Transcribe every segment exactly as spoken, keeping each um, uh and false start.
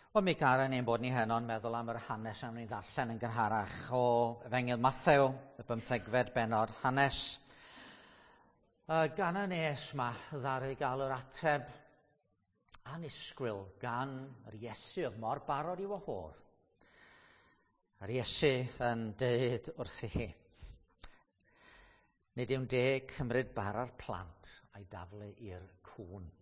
Wel, mi garen ni'n bod ni heno'n meddwl am yr hanes am ni'n ddarllen yn gynharach o Efengyl Mathew, y bymthegfed bennod, hanes uh, gan y nes ma ddaru gael yr ateb annisgwyl gan yr Iesu oedd mor barod i wahodd. Yr Iesu yn deud wrthi hi, nid yw'n deg cymryd bara'r plant a'i daflu i'r cŵn.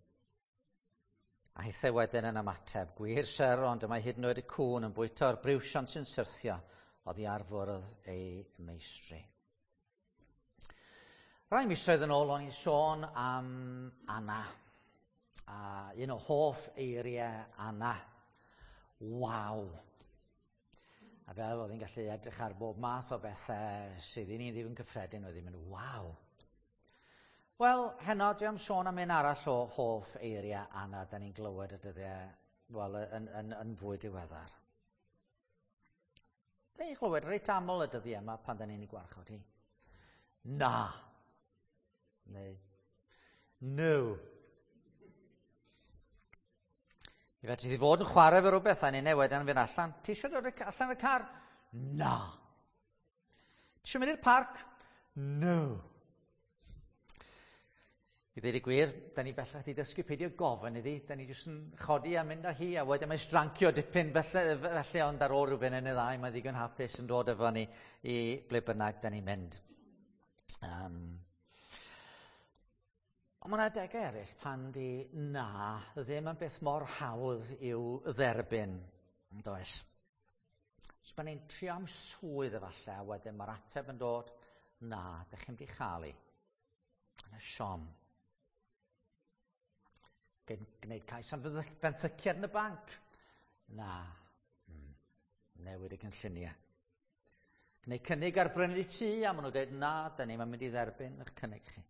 A hithau wedyn yn ymateb, gwir syr, ond y mae hyd yn oed y cŵn yn bwyta'r briwsion sy'n syrthio oddi ar fwrdd ei meistri. Rai misoedd yn ôl o'n i'n sôn am Anna, a un o hoff eiriau Anna, waw. A fel oedd hi'n gallu edrych ar bob math o bethau sydd i ni ddim yn cyffredin, oedd hi'n mynd, waw. Wel, heno dwi am sôn am un arall o hoff eiriau Anna da ni'n glywed y dyddiau, wel, yn, yn, yn fwy diweddar. Da ni'n clywed reit aml y dyddiau yma pan da ni'n ei gwarchod hi. Na. Neu, no. I fedri di fod yn chwarae fe rhywbeth a ni'n newid yn fynd allan. Ti eisiau dod allan y car? Na. Ti eisiau mynd i'r parc? No. I ddweud y gwir, da ni bellach wedi dysgu peidio gofyn iddi, da ni jyst yn chodi a mynd â hi, a wedyn mae'n strancio dipyn felly, felly ond ar ôl rhywbeth yn y ddau, mae'n ddigon hapus yn dod efo ni i ble bynnag da ni'n mynd. Um, ond mae yna adegau eraill pan di na ddim yn beth mor hawdd i'w dderbyn, yn does? So pan ni'n trio am swydd efallai, a wedyn mae'r ateb yn dod, na, da chi'n mynd i chael ei. Yna siom. Gwneud cais am benthyciad yn y banc. Na, hmm. Newid y cynlluniau. Gwneud cynnig ar brynu tŷ, a maen nhw'n dweud, na, da ni'n mynd i dderbyn eich cynnig chi.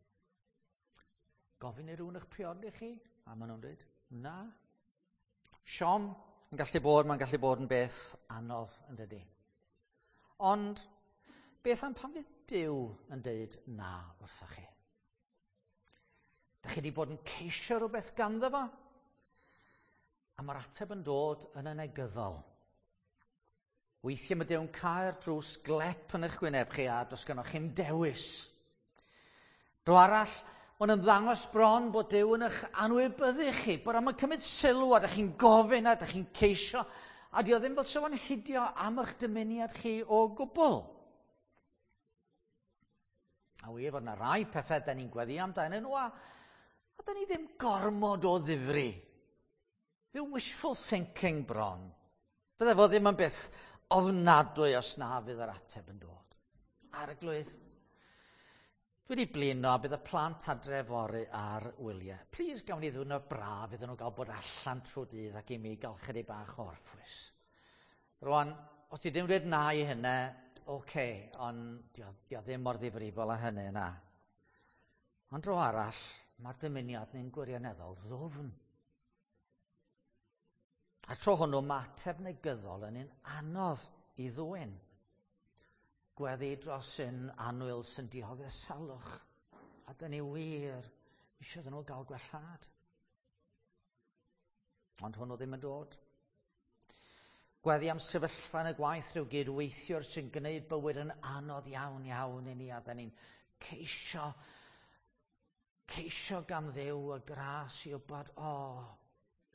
Gofyn i rhywun eich priodi chi, a maen nhw'n dweud, na. Siom yn gallu bod, mae'n gallu bod yn beth anodd yn dydi. Ond beth am pan fydd Duw yn dweud na wrthoch chi? Dych chi wedi bod yn ceisio rhywbeth ganddo fo? A mae'r ateb yn dod yn y negyddol. Weithiau mae Duw'n cau'r drws glep yn eich gwyneb chi a does gynnoch chi'm dewis. Dro arall, mae'n ymddangos bron bod Duw yn eich anwybyddu chi, bod am yn cymryd sylw a dych chi'n gofyn a dych chi'n ceisio, a dio ddim fel sef o'n hidio am eich dymuniad chi o gwbl. A wir fod yna rai pethau da ni'n gweddi amdanyn nhw, a, a da ni ddim gormod o ddifri. Rhyw wishful thinking bron. Bydde fo ddim yn beth ofnadwy os na fydd yr ateb yn dod. Arglwydd, dwi wedi blino a bydd y plant adre fory ar wyliau. Please gawn ni ddiwrnod braf iddyn nhw gael bod allan trwy dydd ac i mi gael chydig bach o orffwys. Rwan, os ti ddim dweud na i hynny, oce, okay, ond dio, dio ddim mor ddifrifol â hynny na. Ond dro arall, mae'r dymuniad ni'n gwirioneddol ddwfn. A tro hwnnw, mae ateb negyddol yn un anodd i ddwyn. Gweddi dros un annwyl sy'n dioddef salwch. A dyn ni wir eisiau iddyn nhw gael gwellhad. Ond hwnnw ddim yn dod. Gweddi am sefyllfa yn y gwaith rhyw gydweithiwr sy'n gwneud bywyd yn anodd iawn iawn i ni, a dyn ni'n ceisio, ceisio gan Dduw y gras i wybod, o, oh,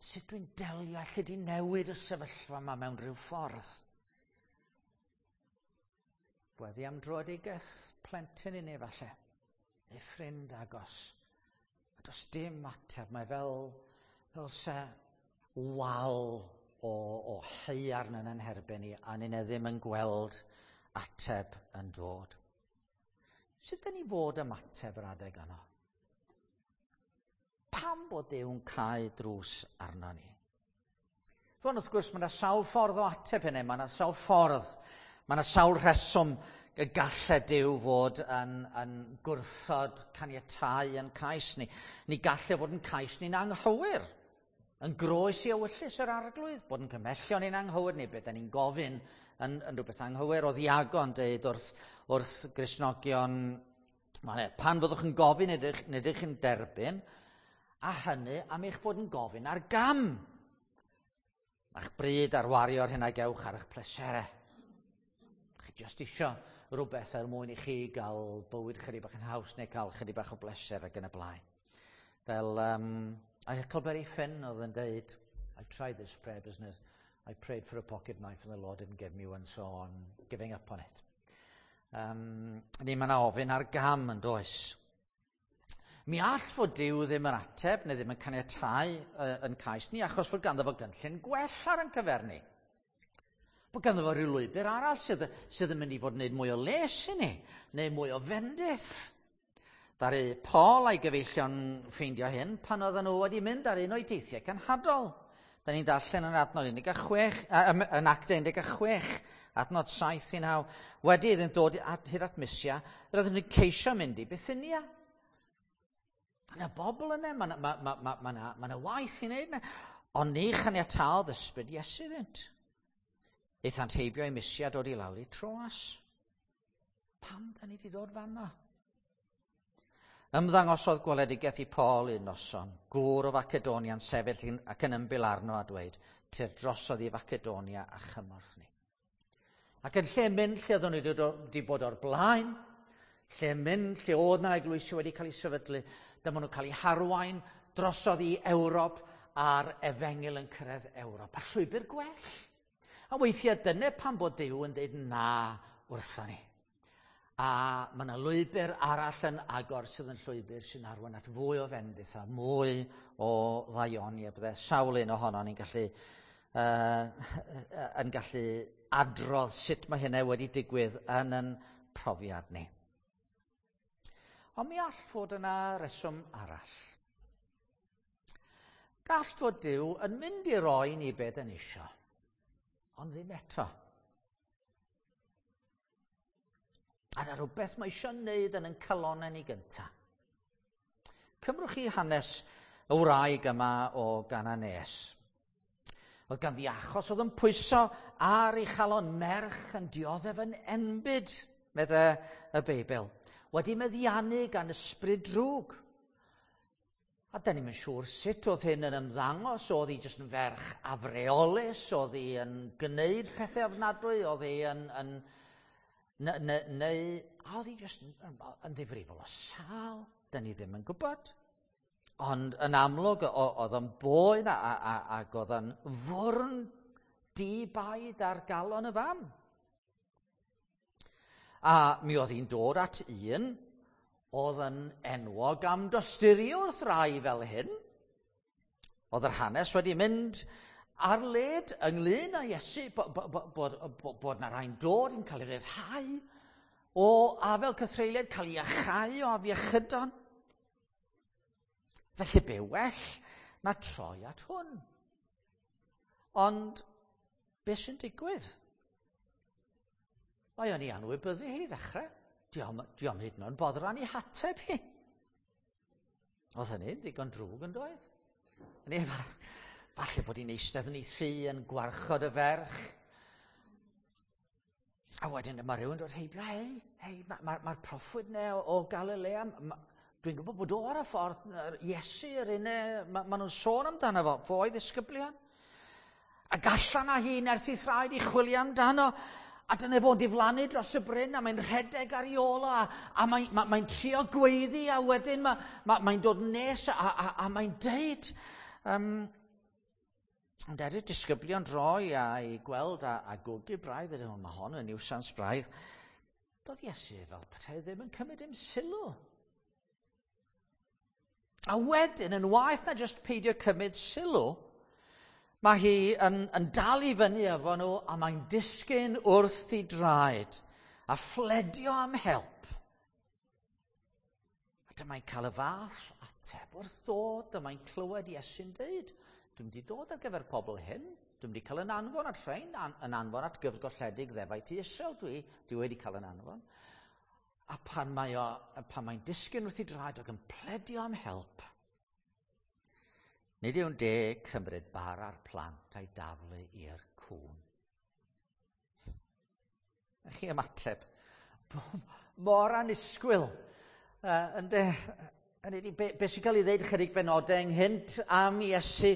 sut dwi'n delio, allu di newid y sefyllfa yma mewn rhyw ffordd. Gweddi am dröedigaeth plentyn i ni falle, neu ffrind agos. A does dim ateb, mae fel, fel se wal o, o haearn yn ein herbyn ni, a ni'n ddim yn gweld ateb yn dod. Sut dyn ni fod ymateb yr adeg yno? Pam bod Duw'n cau drws arno ni? Rwan, wrth gwrs, mae yna sawl ffordd o ateb hynny, mae yna sawl ffordd, mae yna sawl rheswm y gallai Duw fod yn, yn gwrthod caniatáu yn cais ni. Ni gallai fod yn cais ni'n anghywir, yn groes i ewyllys yr arglwydd, bod yn cymhellion ni'n anghywir, neu beth da ni'n gofyn yn, yn rhywbeth anghywir. Oedd Iago yn dweud wrth, wrth Gristnogion, pan fyddwch yn gofyn, nid ydych yn derbyn, a hynny am eich bod yn gofyn ar gam. A'ch bryd ar wario'r hyn a gewch ar eich pleserau. Chi jyst isio rhywbeth er mwyn i chi gael bywyd chydig bach yn haws neu cael chydig bach o bleser ac yn y blaen. Fel um, a Huckleberry Finn oedd yn deud, "I tried this prayer business, I prayed for a pocket knife and the Lord didn't give me one, so I'm giving up on it." Um, ni mae yna ofyn ar gam yn does. Mi all fod Duw ddim yn ateb neu ddim yn caniatáu uh, yn cais ni achos fod ganddo fo gynllun gwell ar yn cyfer ni. Bod ganddo fo rhyw lwybr arall sydd, sydd yn mynd i fod yn gwneud mwy o les i ni, neu mwy o fendith. Ddaru Paul a'i gyfeillion ffeindio hyn pan oedden nhw wedi mynd ar un o'i deithiau cenhadol. Da ni'n darllen yn adnod un deg chwech, yn Actau un deg chwech, adnod saith i naw. Wedi iddynt dod at, hyd at Mysia, roedden nhw'n ceisio mynd i Bithynia. Mae yna bobl yna, mae yna ma, ma, ma, ma, ma, ma waith i wneud yna. Ond ni chaniataodd ysbryd Iesu iddynt. Aethant heibio i Mysia, dod i lawr i Troas. Pam da ni wedi dod fanna? Ymddangosodd gweledigaeth i Paul un noson, gŵr o Facedonia'n sefyll ac yn ymbil arno a dweud, "Tyr drosodd i Facedonia a chymorth ni." Ac yn lle mynd lle oedden nhw wedi bod o'r blaen, lle mynd lle oedd na eglwysi wedi cael ei sefydlu, dyma nhw'n cael eu harwain drosodd i Ewrop a'r efengyl yn cyrraedd Ewrop. A llwybr gwell. A weithiau dyna pan bod Duw yn dweud na wrtho ni. A mae yna lwybr arall yn agor sydd yn llwybr sy'n arwain at fwy o fendith a mwy o ddaioni. A bydde sawl un ohono ni'n gallu, uh, yn gallu adrodd sut mae hynny wedi digwydd yn yn profiad ni. Ond mi all fod yna reswm arall. Gall fod Duw yn mynd i roi ni beth yn isio, ond ddim eto. A yna rhywbeth mae eisiau wneud yn yn calonau ni gyntaf. Cymrwch chi hanes y wraig yma o Gananes. Oedd ganddi achos oedd yn pwyso ar ei chalon, merch yn dioddef yn enbyd, medde y Beibl, wedi meddiannu gan ysbryd drwg. A da ni'n siŵr sut oedd hyn yn ymddangos. Oedd hi jyst yn ferch afreolus, oedd hi yn gwneud pethau ofnadwy, oedd hi yn, yn neu, neu a oedd hi jyst yn, yn ddifrifol o sal, da ni ddim yn gwybod. Ond yn amlwg oedd yn boen a, a, a, ac oedd yn fwrn di-baid ar galon y fam. A mi oedd hi'n dod at un oedd yn enwog am dosturi wrth rai fel hyn. Oedd yr hanes wedi mynd ar led ynglyn â Iesu, bod, bod, bod, bod, bod na rai'n dod yn cael ei ryddhau o afel cythreuliad, cael ei iachau o afiechydon. Felly be well na troi at hwn? Ond beth sy'n digwydd? Mae o'n i anwybyddu hi i ddechrau. Dio'm, dio'm hyd yn oed boddran i hateb hi. Oedd hynny'n ddigon drwg yn doedd? Ni, falle bod hi'n eistedd yn ei thŷ yn gwarchod y ferch. A wedyn mae rhywun dod heibio, "Hei, hei, mae'r ma, ma proffwyd 'na o, o Galilea, ma, dwi'n gwybod bod o ar y ffordd, Iesu yr un, ma, ma nhw'n sôn amdano fo, fo o'i ddisgyblion." Ac allan â hi nerth ei thraed i chwilio amdano. A dyna fo'n diflannu dros y bryn a mae'n rhedeg ar ei ôl o a, a mae'n mae, mae trio gweiddi a wedyn mae'n ma, mae dod nes a, a, a mae'n deud, um, ond er i'r disgyblion droi a i gweld a, a gwgu braidd, ydyn nhw, "Mae hon yn niwsans braidd." Doedd Iesu fel petai ddim yn cymryd dim sylw. A wedyn, yn waeth na jyst peidio cymryd sylw, mae hi yn, yn dal i fyny efo nhw a mae'n disgyn wrth ei draed a phledio am help. A dyma'n cael y fath ateb wrth ddod, dyma'n clywed Iesu'n deud, "Dwi'n wedi dod ar gyfer pobl hyn, dwi'n wedi cael yn anfon at rhain, an, yn anfon at gyfgolledig ddefaid tŷ Israel, dwi, dwi wedi cael yn anfon." A pan, mae o, pan mae'n disgyn wrth ei draed ac yn pledio am help, "Nid yw'n deg cymryd bara'r plant a'i daflu i'r cŵn." A chi ymateb mor annisgwyl. Uh, ynde, hynny ydi, be, be sy'n cael ei ddeud chydig benodau ynghynt am Iesu,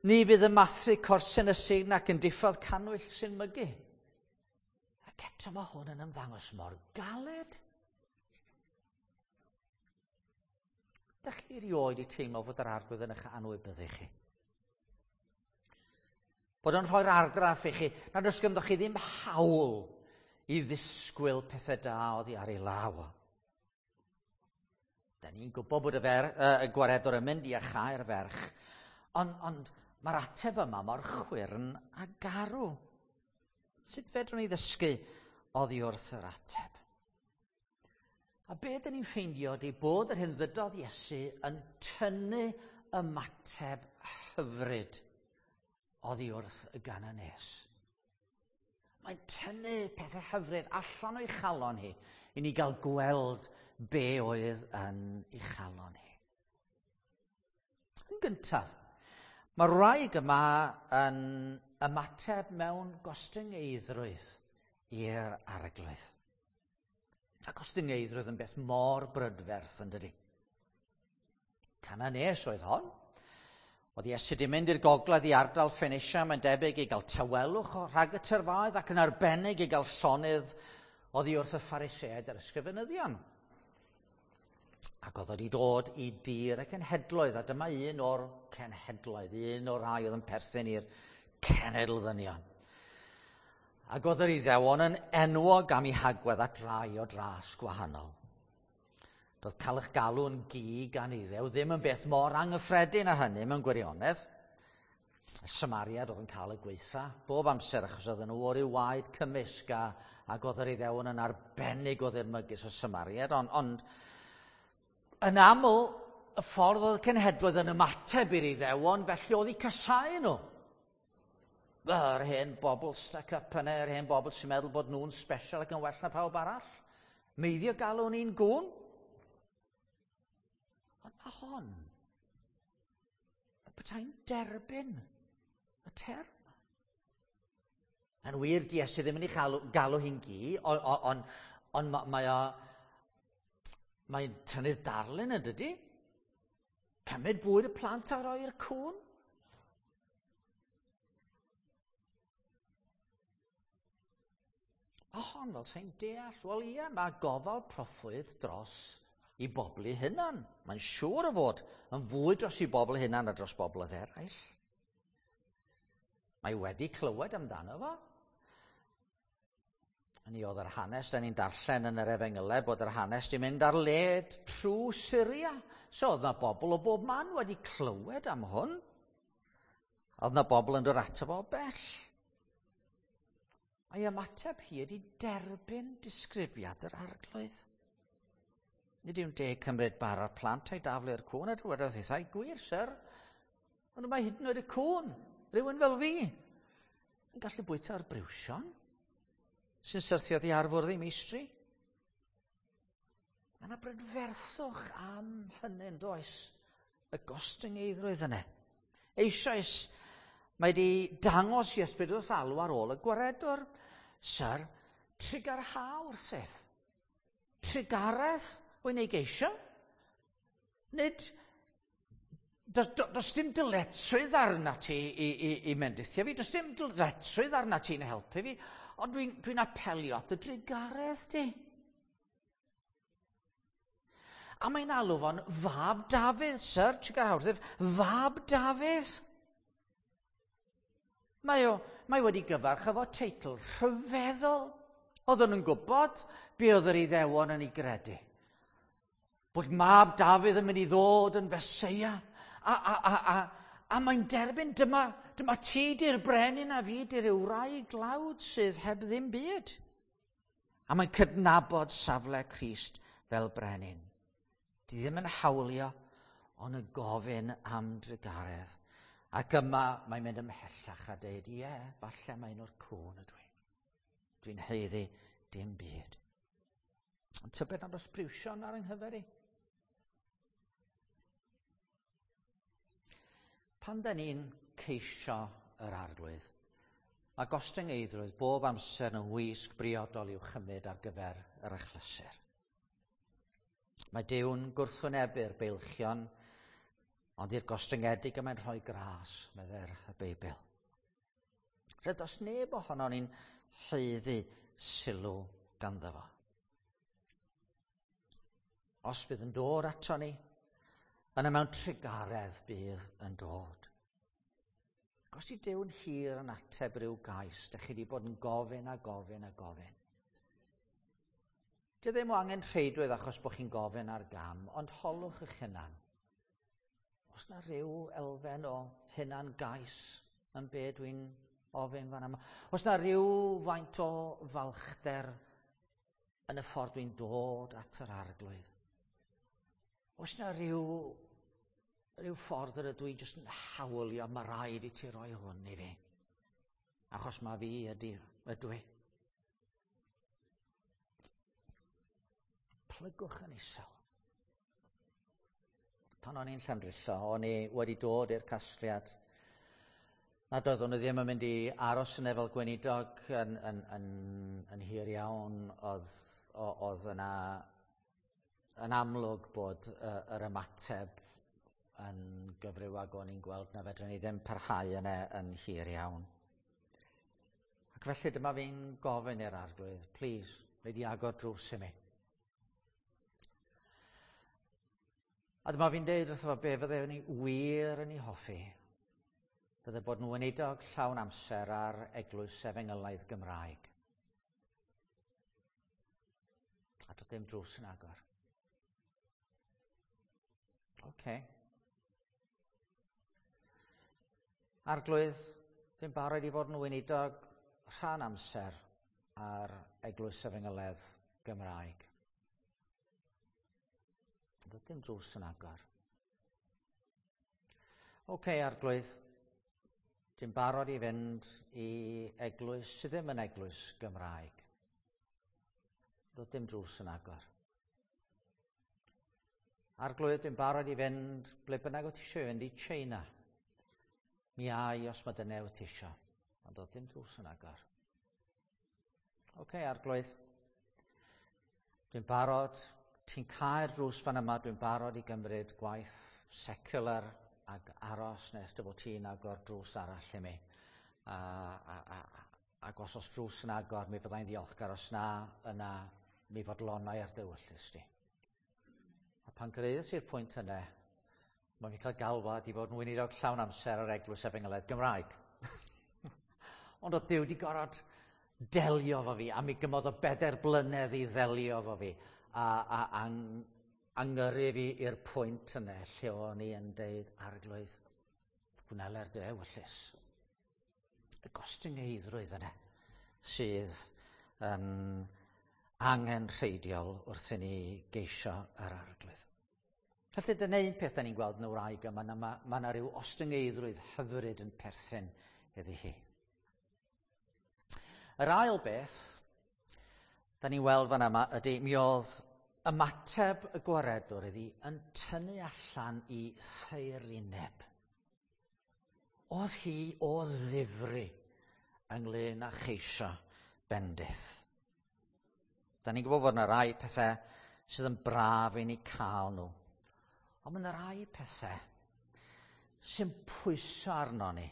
ni fydd y mathru corsen y sign ac yn diffodd cannwyll sy'n mygu. Ac eto mae hwn yn ymddangos mor galed. Dych chi erioed i teimlo fod yr Arglwydd yn eich anwybyddu chi? Bod o'n rhoi'r argraff i chi nad oes ganddo chi ddim hawl i ddisgwyl pethau da oddi ar ei law. Da ni'n gwybod bod y, fer, uh, y gwaredwr yn mynd i iacháu'r ferch, ond, ond mae'r ateb yma mor chwyrn a garw. Sut fedrwn ni ddysgu oddi wrth yr ateb? A be dyn ni'n ffeindio ydy bod yr hyn ddydodd Iesu yn tynnu ymateb hyfryd oddi wrth y Gananes. Mae'n tynnu pethau hyfryd allan o'i chalon hi i ni gael gweld be oedd yn ei chalon hi. Yn gyntaf, mae'r wraig yma yn ymateb mewn gostyngeiddrwydd i'r Arglwydd. A gostyngeiddrwydd yn beth mor brydferth yn dydi. Cananes oedd hon. Oedd Iesu wedi mynd i'r gogledd i ardal Ffenicia, mae'n debyg i gael tawelwch rhag y tyrfaoedd ac yn arbennig i gael llonydd oddi wrth y Phariseaid a'r ysgrifenyddion. Ac oedd wedi dod i dir y cenhedloedd, a dyma un o'r cenhedloedd, un o'r rhai oedd yn perthyn i'r cenedl ddynion. Ac oedd yr Iddewon yn enwog am eu hagwedd at rai o dras gwahanol. Doedd cael eich galw'n gi gan Iddew ddim yn beth mor anghyffredin â hynny mewn gwirionedd. Y Samariad oedd yn cael y gweitha bob amser achos oedden nhw o ryw waed cymysg a, ac oedd yr Iddewon yn arbennig o ddirmygus o Samariad, ond, ond yn aml y ffordd oedd y cenhedloedd yn ymateb i'r Iddewon, felly oedd eu casáu nhw. Yr hen bobl stuck up yna, yr hen bobl sy'n meddwl bod nhw'n special ac yn well na pawb arall. Meiddio galw ni'n gŵn. Ond mae hon, y petai'n derbyn y term. Yn wir, di Iesu ddim yn ei galw, galw hi'n gi, ond on, on, on mae o, mae'n tynnu'r darlun yn dydi? Cymryd bwyd y plant a roi'r cŵn. A hon fel sy'n deall, wel ie, mae gofal proffwyd dros i bobl eu hunan. Mae'n siŵr o fod yn fwy dros i bobl eu hunan a dros bobl eraill. Mae wedi clywed amdano fo. Ni oedd yr hanes, da ni'n darllen yn yr Efengylau bod yr hanes di mynd ar led trwy Syria. So oedd na bobl o bob man wedi clywed am hwn. Oedd na bobl yn dod ato fo o bell. A'i ymateb hi ydi derbyn disgrifiad yr Arglwydd. Nid yw'n deg cymryd bara'r plant a'i daflu i'r cŵn, a dywedodd hithau, gwir, syr, ond mae hyd yn oed y cŵn, rhywun fel fi, yn gallu bwyta ar briwsion, sy'n syrthio oddi ar fwrdd ei meistri. Mae yna brydferthwch am hynny, yn does, y gostyngeiddrwydd yna. Eisoes, mae wedi dangos i ysbryd wrth alw ar ôl y gwaredwr, syr, trugarha wrthyf. Trugaredd wy'n ei geisio. Nid, does, does dim dyletswydd arna ti i, i, i mendithio fi, does dim dyletswydd arna ti'n helpu fi, ond dwi'n dwi apelio at y drugaredd di. A mae'n alw fo'n fab Dafydd, syr, trugarha wrthyf, fab Dafydd. Mae, o, mae wedi gyfarch efo teitl rhyfeddol. Oedden nhw'n gwybod be oedd yr Iddewon yn ei gredu. Bod mab Dafydd yn mynd i ddod yn Feseia. A, a, a, a, a mae'n derbyn, dyma, dyma ti di'r brenin a fi di'r wraig glawd sydd heb ddim byd. A mae'n cydnabod safle Crist fel brenin. Di ddim yn hawlio, ond yn gofyn am drugaredd. Ac yma mae'n mynd ymhellach a dweud, ie, falle mae'n o'r cŵn ydw i. Dwi'n haeddu dim byd. Ond tybed nad oes briwsion ar yng nghyfer i? Pan da ni'n ceisio yr Arglwydd, mae gostyngeiddrwydd bob amser yn wisg briodol i'w chymryd ar gyfer yr achlysur. Mae Duw'n gwrthwynebu'r beilchion Ond i'r gostyngedig y mae'n rhoi gras, medde'r y Beibl. Rhaid os neb ohono ni'n haeddu sylw ganddo fo. Os bydd yn dod ato ni, yna mewn trugaredd bydd yn dod. Os i Duw'n hir yn ateb rhyw gais, dych chi wedi bod yn gofyn a gofyn a gofyn. Dio ddim o angen rheidrwydd achos bod chi'n gofyn ar gam, ond holwch eich hunan. Os na rhyw elfen o hunan gais yn be dwi'n ofyn fan yma. Os na rhyw faint o falchder yn y ffordd dwi'n dod at yr Arglwydd. Os na rhyw, rhyw ffordd yr ydw i jyst yn hawlio, mae rhaid i ti roi hwn i fi. Achos mae fi ydy, ydw i. Plygwch yn isel. Pan o'n i'n Llandrillo, o'n i wedi dod i'r casgliad nad oeddwn i ddim yn mynd i aros yn efo gweinidog yn, yn, yn, yn hir iawn. Oedd, oedd yna yn amlwg bod uh, yr ymateb yn gyfryw ag o'n i'n gweld na fedrwn ni ddim parhau yna yn hir iawn. Ac felly dyma fi'n gofyn i'r Arglwydd, please, wnei di agor drws i mi. A dyma fi'n deud wrtho fo be fydde ni wir yn ei hoffi. Fydde bod yn weinidog llawn amser ar Eglwys Efengylaidd Gymraeg. A doedd dim drws yn agor. Oce. Okay. Arglwydd, dwi'n barod i fod yn weinidog rhan amser ar Eglwys Efengylaidd Gymraeg. Doedd dim drws yn agor. Oce, okay, Arglwydd, dwi'n barod i fynd i eglwys sydd ddim yn eglwys Gymraeg. Doedd dim drws yn agor. Arglwydd, dwi'n barod i fynd ble bynnag wyt ti eisiau fynd i China. Mi ai os mae dyna wyt ti eisiau. Ond doedd dim drws yn agor. Oce, okay, Arglwydd, dwi'n barod, ti'n cau'r drws fan yma, dwi'n barod i gymryd gwaith secular ac aros nes dy fod ti'n agor drws arall i mi. A, a, a, ac os oes drws yn agor, mi fyddai'n ddiolchgar. Os na, yna mi fodlonai ar dy ewyllys di. A pan gyrhaeddes i'r pwynt yna, mae'n fi'n cael galwad i fod yn weinidog llawn amser ar Eglwys Efengylaidd Gymraeg. Ond oedd Duw wedi gorfod delio efo fi, a mi gymodd o bedair blynedd i ddelio efo fi, a, a, a angyrru fi i'r pwynt yna lle o'n i yn deud, Arglwydd, gwneler dy ewyllys. Y gostyngeiddrwydd yna sydd yn angenrheidiol wrth i ni geisio yr Arglwydd. Felly dyna un peth da ni'n gweld yn y wraig yma, mae ma yna rhyw ostyngeiddrwydd hyfryd yn perthyn iddi hi. Yr ail beth da ni'n weld fan yma ydy mi oedd ymateb y gwaredwr iddi yn tynnu allan i thaerineb. Oedd hi o ddifri ynglyn â cheisio bendith. Da ni'n gwybod fod yna rai pethau sydd yn braf i ni cael nhw. Ond mae yna rai pethau sy'n pwyso arno ni.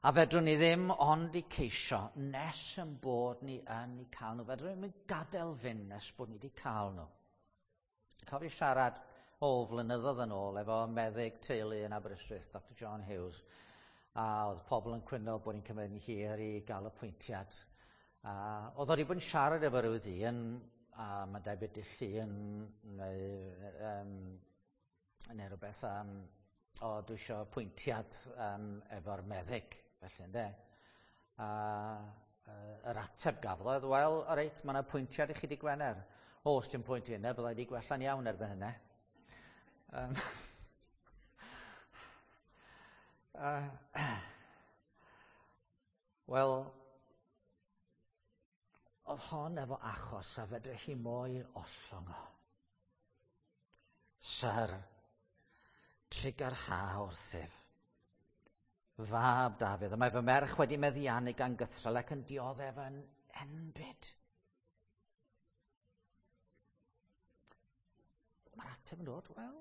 A fedrwn ni ddim ond i ceisio nes yn bod ni yn eu cael nhw. Fedrwn ni ddim gadael fynd nes bod ni wedi cael nhw. Cofio siarad o flynyddoedd yn ôl efo meddyg teulu yn Aberystwyth, Doctor John Hughes, a oedd pobl yn cwyno bod ni'n cymryd yn hir i gael apwyntiad. A oedd o wedi bod yn siarad efo rhyw ddyn, a mae'n debyg dydd Llun neu, um, neu rhywbeth, um, o dwi eisiau apwyntiad um, efo'r meddyg, felly ynde. A uh, yr ateb gafodd oedd, wel, o reit, mae yna apwyntiad i chi di Gwener. O, os ti'n pwynt i hynny, byddai wedi gwella'n iawn erbyn hynny. Um, uh, Wel, oedd hon efo achos a fedrech chi mo'i ollwng o. Syr, trugarha wrthyf. Fab Dafydd, a mae fy merch wedi meddiannu gan gythrel ac yn dioddef yn enbyd. Mae'r ateb yn dod, wel,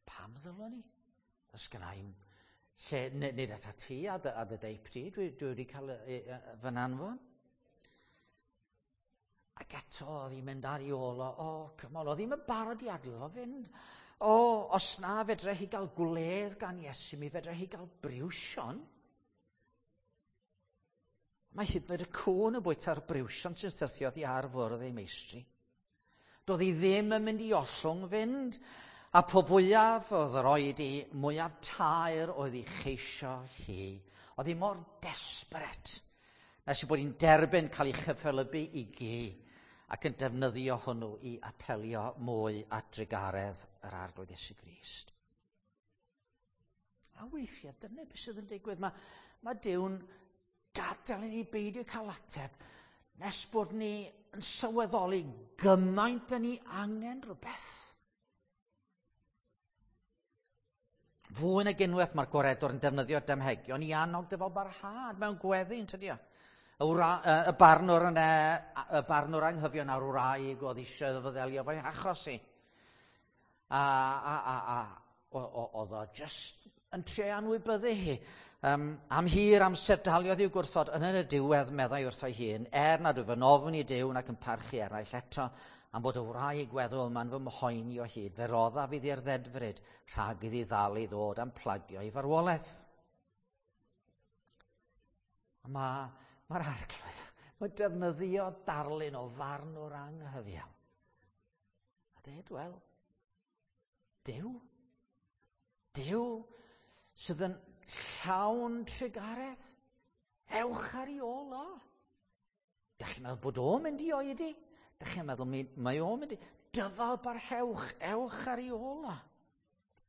pam ddylwn ni? Does gynna i'm lle, nid ata ti a dy, a dy deip di, dwi, dwi wedi cael fy nanfon. Ac eto oedd hi'n mynd ar ei ôl o, o, come on, oedd hi'n yn barod i adael o fynd. O, os na fedre hi gael gwledd gan Iesu, mi fedre hi gael briwsion. Mae hyd yn oed y cŵn yn bwyta'r briwsion sy'n syrthio oddi ar fwrdd ei meistri. Doedd hi ddim yn mynd i ollwng fynd, a po fwyaf oedd yr oedi, mwyaf taer oedd ei cheisio hi. Oedd hi mor desperate, nes i bod hi'n derbyn cael ei chyffelybu i gi ac yn defnyddio hwnnw i apelio mwy at drugaredd yr Arglwydd Iesu Grist. A weithiau, dyna beth sydd yn digwydd. Mae, mae Duw'n gadael i ni beidio cael ateb nes bod ni yn sylweddoli gymaint yn ni angen rhywbeth. Fwy nag unwaith mae'r gwaredwr yn defnyddio damhegion i annog dyfal barhad mewn gweddi, yn tydi o? Y, wra, y barnwr yn e, y barnwr anghyfion a'r wraig oedd eisiau iddo fo ddelio fo'i achos i. A, a, a, a oedd o just yn trio anwybyddu hi. Um, am hir amser daliodd i'w gwrthod, yn yn y diwedd meddai wrtho'i hun, er nad wyf yn ofn i Duw nac yn parchu eraill eto, am bod y wraig weddw yma'n fy mhoeni o hyd, fe roddaf iddi'r ddedfryd rhag iddi ddal i ddod am plagio i farwolaeth. Mae Mae'r Arglwydd, mae defnyddio darlun o farnwr anghyfiawn. A dweud, wel, Duw, Duw sydd yn llawn trugaredd, ewch ar ei ôl o. Dach chi'n meddwl bod o'n mynd i oedi? Dach chi'n meddwl mae o'n mynd i... Dyfal barhewch, ewch ar ei ôl o.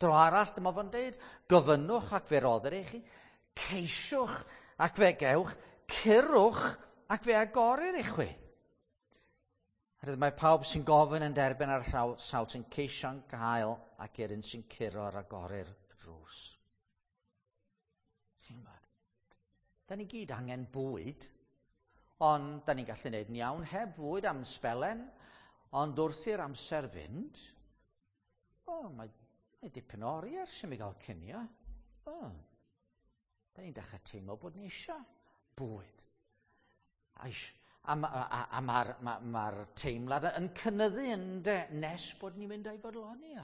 Dro arall, dyma fo'n deud, gofynnwch ac fe roddir i chi, ceisiwch ac fe gewch, curwch ac fe agorir i chwi. Herwydd mae pawb sy'n gofyn yn derbyn ar sawl sy'n ceisio'n gael ac i'r un sy'n curo ar agorir y drws. Chi'n gwybod? Da ni gyd angen bwyd, ond da ni'n gallu gwneud yn iawn heb fwyd am sbelen, ond wrth i'r amser fynd, o, oh, mae, mae dipyn o oriau ers i mi gael cinio. O, oh, da ni'n dechrau teimlo bod ni eisiau bwyd. A, a, a, a mae'r ma, ma teimlad yn cynyddu yn de, nes bod ni'n mynd a'i fodloni.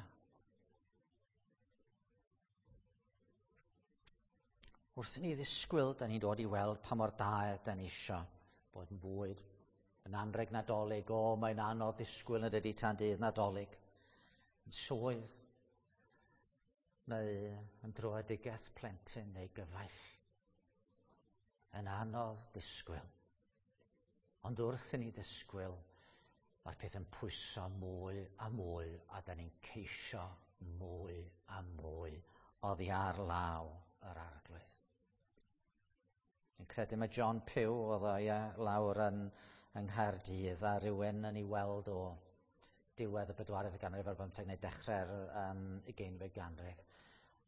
Wrth i ni ddisgwyl, da ni'n dod i weld pa mor daer da ni isio bod yn bwyd. Yn anrheg Nadolig, o, mae'n anodd disgwyl yn dydi tan dydd Nadolig. Yn swydd, neu yn dröedigaeth plentyn neu gyfaill. Yn anodd disgwyl. Ond wrth i ni ddisgwyl, mae'r peth yn pwyso mwy a mwy, a da ni'n ceisio mwy a mwy oddi ar law yr Arglwydd. Fi'n credu mae John Pugh oedd o ie, lawr yn, yng Nghaerdydd a rhywun yn ei weld o diwedd y bedwaredd ganrif ar bymtheg neu dechrau'r um, ugeinfed ganrif.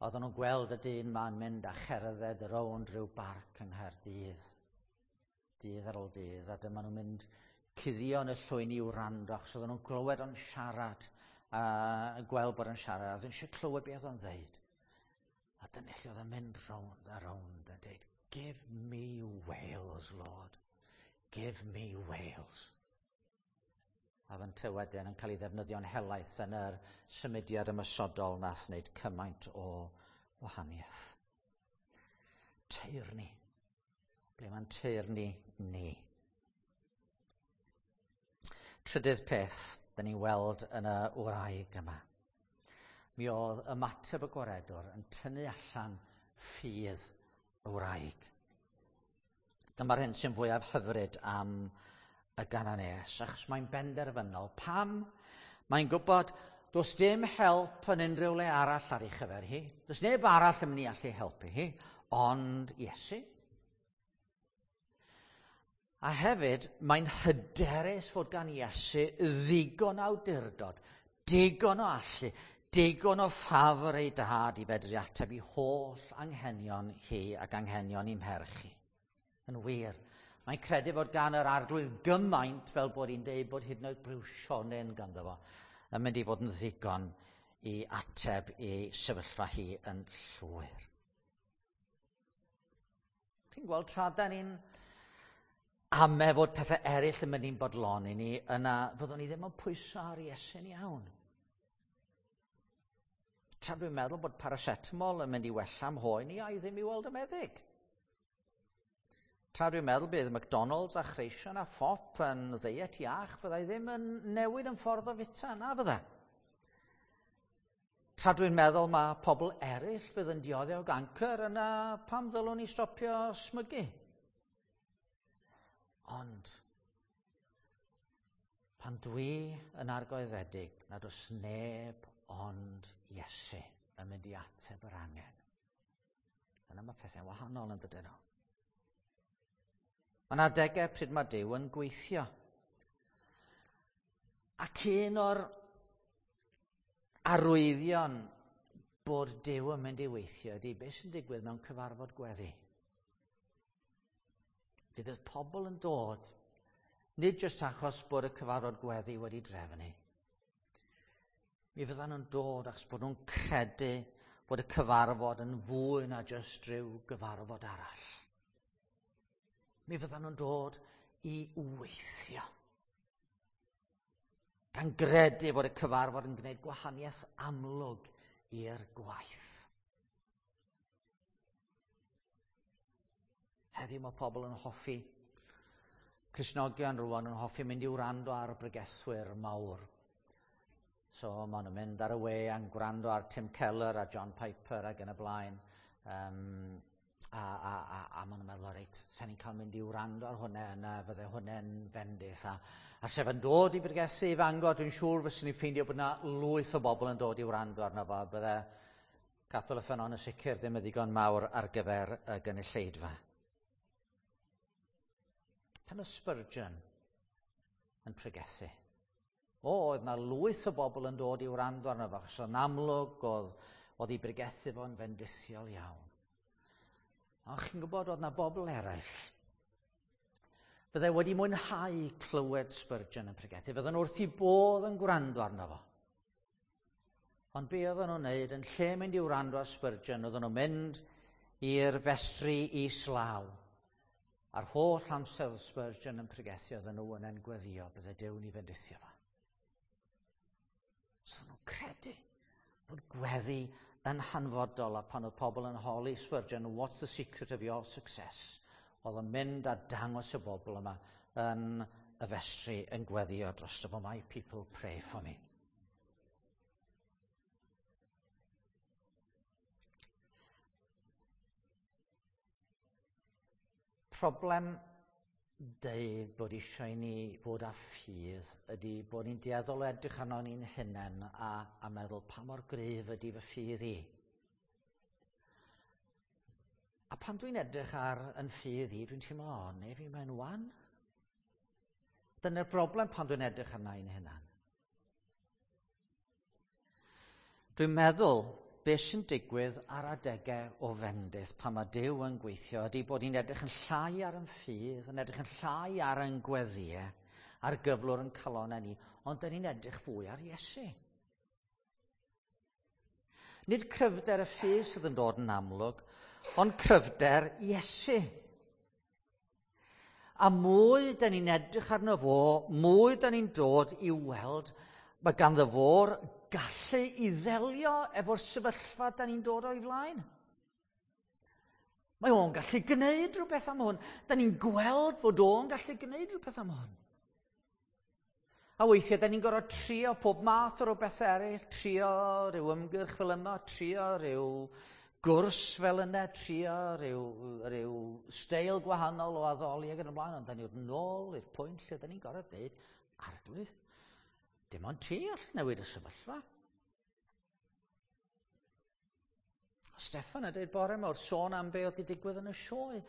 Oedden nhw'n gweld y dyn ma'n mynd a cherdded rownd rhyw barc yng Nghaerdydd, dydd ar ôl dydd, a dyma nhw'n mynd cuddio yn y llwyn i wrando, achos oedden nhw'n glywed o'n siarad, a gweld bod o'n siarad, a oedden nhw eisiau clywed beth o'n ddeud. A dyna lle oedd yn mynd rownd a rownd a dweud, give me Wales, Lord. Give me Wales. A fynte wedyn yn cael ei ddefnyddio'n helaeth yn yr symudiad ymosodol nath wneud cymaint o wahaniaeth. Teyrni. Ble mae'n teyrni ni? Trydydd peth, da ni'n weld yn y wraig yma. Mi oedd ymateb y gwaredwr yn tynnu allan ffydd y wraig. Dyma'r hyn sy'n fwyaf hyfryd am y Gananees, achos mae'n benderfynol. Pam? Mae'n gwybod does dim help yn unrhyw le arall ar ei chyfer hi. Does neb arall yn mynd i allu helpu hi, ond Iesu. A hefyd, mae'n hyderus fod gan Iesu ddigon awdurdod, digon o allu, digon o ffafr ei dad i fedru ateb i holl anghenion hi ac anghenion i'm merch hi. Yn wir, mae'n credu fod gan yr Arglwydd gymaint fel bod hi'n deud bod hyd yn oed briwsionyn ganddo fo yn mynd i fod yn ddigon i ateb i sefyllfa hi yn llwyr. Chi'n gweld, tra da ni'n ame fod pethau eraill yn mynd i'n bodloni ni, yna fyddwn ni ddim yn pwyso ar Iesu'n iawn. Tra dwi'n meddwl bod paracetamol yn mynd i wella mhoen i, a i ddim i weld y meddyg. Tra dwi'n meddwl bydd McDonald's a chreision a phop yn ddeiet iach, fyddai ddim yn newid yn ffordd o fita, na fydda. Tra dwi'n meddwl mae pobl eraill fydd yn dioddef o gancr, yna pam ddylwn ni stopio smygu? Ond, pan dwi yn argoeddedig nad oes neb ond Iesu yn mynd i ateb yr angen, yna mae pethau'n wahanol yn dydyn nhw. Mae yna adegau pryd mae Duw yn gweithio. Ac un o'r arwyddion bod Duw yn mynd i weithio ydy beth sy'n digwydd mewn cyfarfod gweddi. Fydd y pobl yn dod, nid jyst achos bod y cyfarfod gweddi wedi drefnu. Mi fyddan nhw'n dod achos bod nhw'n credu bod y cyfarfod yn fwy na jyst rhyw gyfarfod arall. Mi fyddan nhw'n dod i weithio. Gan gredu fod y cyfarfod yn gwneud gwahaniaeth amlwg i'r gwaith. Heddiw mae pobl yn hoffi, Cristnogion rwan yn hoffi mynd i wrando ar bregethwyr mawr. So maen nhw'n mynd ar y we a'n gwrando ar Tim Keller a John Piper ac yn y blaen. Um, a, a, a, a maen nhw'n meddwl, reit, sa'n ni'n cael mynd i wrando ar hwnna yna, fydde hwnna'n bendith. A, a sef yn dod i bregethu i Fangor, dwi'n siŵr fyswn i'n ffeindio bod yna lwyth o bobl yn dod i wrando arno fo. Bydde Capel y Ffynnon yn sicr ddim yn ddigon mawr ar gyfer y gynulleidfa. Pan oedd Spurgeon yn pregethu, o, oedd na lwyth o bobl yn dod i wrando arno fo, achos yn amlwg oedd, oedd ei bregethu fo'n fendithiol iawn. Ond chi'n gwybod, oedd na bobl eraill. Fyddai wedi mwynhau clywed Spurgeon yn pregethu, fydden nhw wrth i bodd yn gwrando arno fo. Ond be oedden nhw'n wneud, yn lle mynd i wrando ar Spurgeon, oedden nhw'n mynd i'r festri islaw. A'r holl amser oedd Spurgeon yn pregethu, oedden nhw yn en gweddio, bydde Duw'n i fendithio fo. So nhw'n credu bod gweddi yn hanfodol, a pan oedd pobl yn holi Spurgeon, what's the secret of your success? Oedd yn mynd a dangos y bobl yma yn y festri yn gweddio drosto fo, my people pray for me. Problem deud bod eisiau ni fod â ffydd ydy bod ni'n dueddol o edrych arno ni'n hunain a, a meddwl pa mor gryf ydy fy ffydd i. A pan dwi'n edrych ar yn ffydd i, dwi'n teimlo, o, neu fi mae'n wan. Dyna'r broblem pan dwi'n edrych arna i'n hunan. Dwi'n meddwl beth sy'n digwydd ar adegau o fendith pan mae Duw yn gweithio ydy bod ni'n edrych yn llai ar yn ffydd, yn edrych yn llai ar yn gweddiau, ar gyflwr yn calonnau ni, ond dyn ni'n edrych fwy ar Iesu. Nid cryfder y ffydd sydd yn dod yn amlwg, ond cryfder Iesu. A mwy dyn ni'n edrych arno fo, mwy dyn ni'n dod i weld mae ganddo fo'r gallu i ddelio efo'r sefyllfa da ni'n dod o'i flaen. Mae o'n gallu gwneud rhywbeth am hwn. Da ni'n gweld fod o'n gallu gwneud rhywbeth am hwn. A weithiau, da ni'n gorfod trio pob math o rhywbeth eraill, trio rhyw ymgyrch fel yma, trio rhyw gwrs fel yna, trio rhyw, rhyw steil gwahanol o addoli ac yn y blaen, ond da ni'n nôl i'r pwynt lle da ni'n gorfod dweud, Arglwydd, dim ond ti all newid y sefyllfa. Steffan yn dweud bore yma wrth sôn am be oedd wedi digwydd yn y sioe.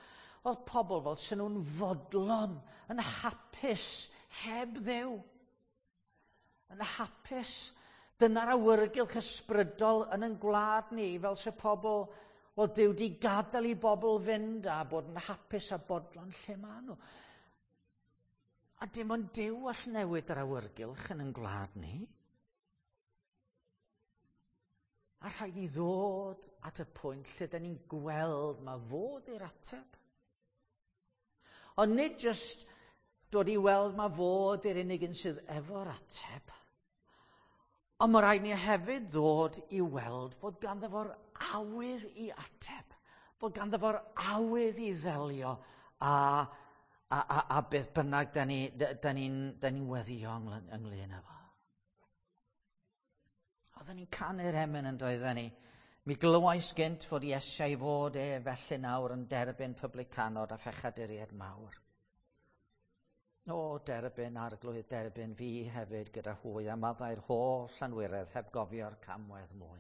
Oedd pobl fel sy'n nhw'n fodlon, yn hapus, heb Dduw. Yn hapus. Dyna'r awyrgylch ysbrydol yn ein gwlad ni, fel sy'n pobl, wel Duw di gadael i bobl fynd a bod yn hapus a bodlon lle maen nhw. A dim ond Duw all newid yr awyrgylch yn ein gwlad ni. A rhaid ni ddod at y pwynt lle da ni'n gweld ma fod i'r ateb. Ond nid jyst dod i weld ma fod i'r unig un sydd efo'r ateb, ond mae rhaid ni hefyd ddod i weld fod ganddo fo'r awydd i ateb, bod ganddo fo'r awydd i ddelio a, a, a, a beth bynnag da ni'n ni, da ni, da ni weddio ynglyn â fo. Oedden ni'n canu'r emyn yn doedden ni. Mi glywais gynt fod Iesu i fod e felly nawr yn derbyn publicanod a phechaduriaid mawr. O, derbyn Arglwydd, derbyn fi hefyd gyda hwy a maddau'r holl anwiredd heb gofio'r camwedd mwy.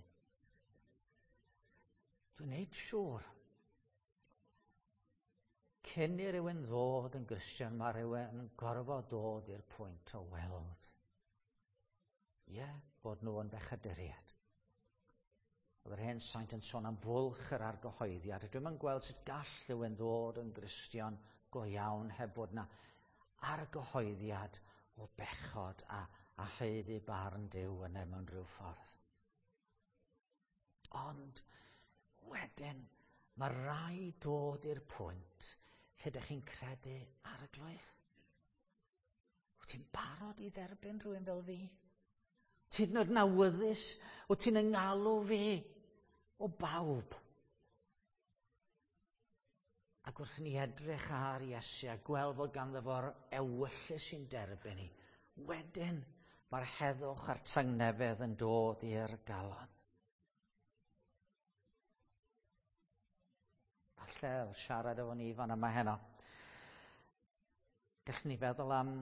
Dwi'n neud siŵr. Cyn i rywun ddod yn Gristion, mae rhywun yn gorfod dod i'r pwynt o weld. Ie, yeah, bod nhw yn bechaduriaid. Oedd yr hen saint yn sôn am fwlch yr argyhoeddiad. Dwi'm yn gweld sut gall rhywun ddod yn Gristion go iawn heb bod na argyhoeddiad o bechod a, a haeddu barn Duw yna mewn rhyw ffordd. Ond wedyn mae rhaid dod i'r pwynt lle ydych chi'n credu Arglwydd. Wyt ti'n barod i dderbyn rhywun fel fi? Ti'n yn awyddus, wyt ti'n yngalw fi o bawb. Ac wrth ni edrych ar Iesu a gweld fod ganddo fo'r ewyllys sy'n derbyn ni, wedyn mae'r heddwch a'r tangnefedd yn dod i'r galon. Falle wrth siarad efo ni fan yma heno, gallwn ni feddwl am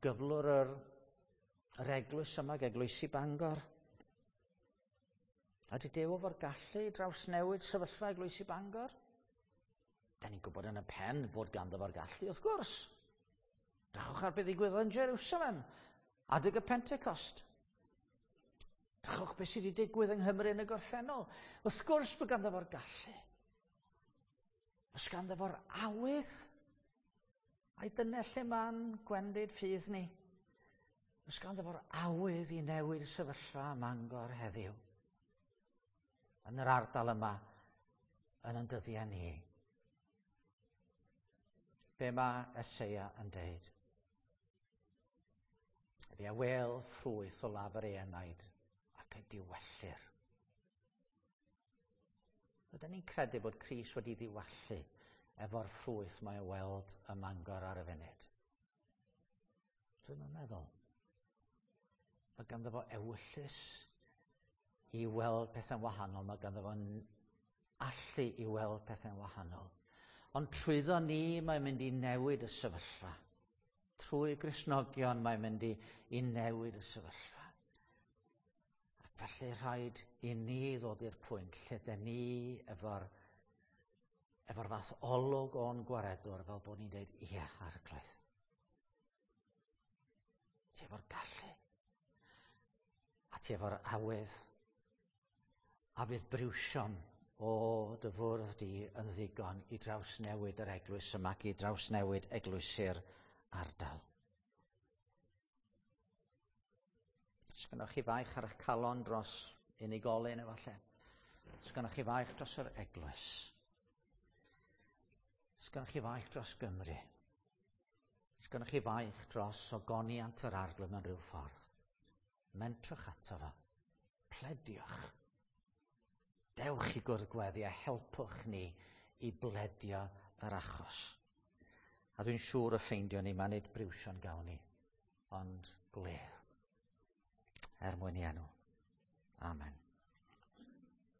gyflwr yr, yr eglwys yma, eglwysi Bangor. Ydy Duw efo'r gallu i drawsnewid sefyllfa eglwysi Bangor? Da ni'n gwybod yn y pen fod ganddo fo'r gallu, wrth gwrs. Drychwch ar beth ddigwyddodd yn Jerusalem, adeg y Pentecost. Drychwch beth sydd wedi digwydd yng Nghymru yn y gorffennol. Wrth gwrs bod ganddo fo'r gallu. Oes ganddo fo'r awydd? Ai dyna lle ma'n gwendid ffydd ni? Oes ganddo fo'r awydd i newid sefyllfa ym Mangor heddiw? Yn yr ardal yma, yn ein dyddiau ni. Be mae Eseia yn deud? Ydy a wel ffrwyth o lafur ei enaid ac y diwellir. Ydyn ni'n credu bod Crist wedi ddiwallu efo'r ffrwyth mae o weld ym Mangor ar y funud? Dwi'm yn meddwl. Mae ganddo fo ewyllys i weld pethau'n wahanol. Mae ganddo fo allu i weld pethau'n wahanol. Ond trwyddo ni mae'n mynd i newid y sefyllfa. Trwy Gristnogion mae'n mynd i, i newid y sefyllfa. Ac felly rhaid i ni ddod i'r pwynt lle dyn ni efo'r efo'r fath olwg o'n gwaredwr fel bod ni'n dweud, ie, Arglwydd. Ti efo'r gallu. A ti efo'r awydd. A fydd briwsion o dy fwrdd di yn ddigon i drawsnewid yr eglwys yma ac i drawsnewid eglwysi'r ardal. Sgynnoch chi faich ar eich calon dros unigolyn efallai? Sgynnoch chi faich dros yr eglwys? Sgynnoch chi faich dros Gymru? Sgynnoch chi faich dros ogoniant yr Arglwydd mewn rhyw ffordd? Mentrwch ato fo. Plediwch. Dewch i gwrdd gweddi a helpwch ni i bledio yr achos. A dwi'n siŵr y ffeindio ni, mae nid briwsion gawn ni, ond gwledd. Er mwyn i enw. Amen.